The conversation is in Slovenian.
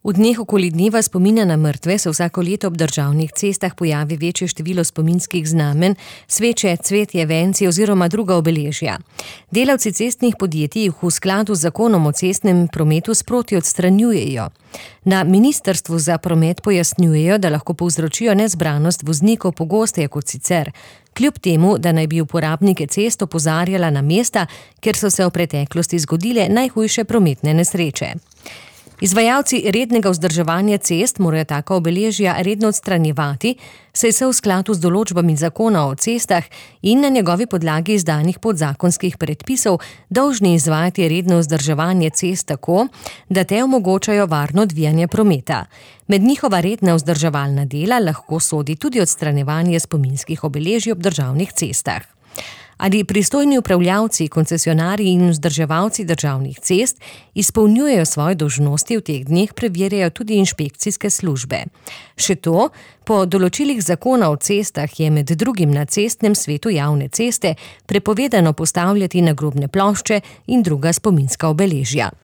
V dneh okoli dneva spomina na mrtve se vsako leto ob državnih cestah pojavi večje število spominskih znamenj, sveče, cvetje, venci oziroma druga obeležja. Delavci cestnih podjetij jih v skladu z zakonom o cestnem prometu sproti odstranjujejo. Na Ministrstvu za promet pojasnjujejo, da lahko povzročijo nezbranost voznikov pogosteje kot sicer, kljub temu, da naj bi uporabnike cest opozarjala na mesta, kjer so se v preteklosti zgodile najhujše prometne nesreče. Izvajalci rednega vzdrževanja cest morajo taka obeležja redno odstranjevati, saj so v skladu z določbami zakona o cestah in na njegovi podlagi izdanih podzakonskih predpisov dolžni izvajati redno vzdrževanje cest tako, da te omogočajo varno odvijanje prometa. Med njihova redna vzdrževalna dela lahko sodi tudi odstranjevanje spominskih obeležij ob državnih cestah. Ali pristojni upravljavci, koncesionarji in vzdrževalci državnih cest izpolnjujejo svoje dolžnosti v teh dneh, preverjajo tudi inšpekcijske službe. Še to, po določilih zakona o cestah je med drugim na cestnem svetu javne ceste prepovedano postavljati nagrobne plošče in druga spominska obeležja.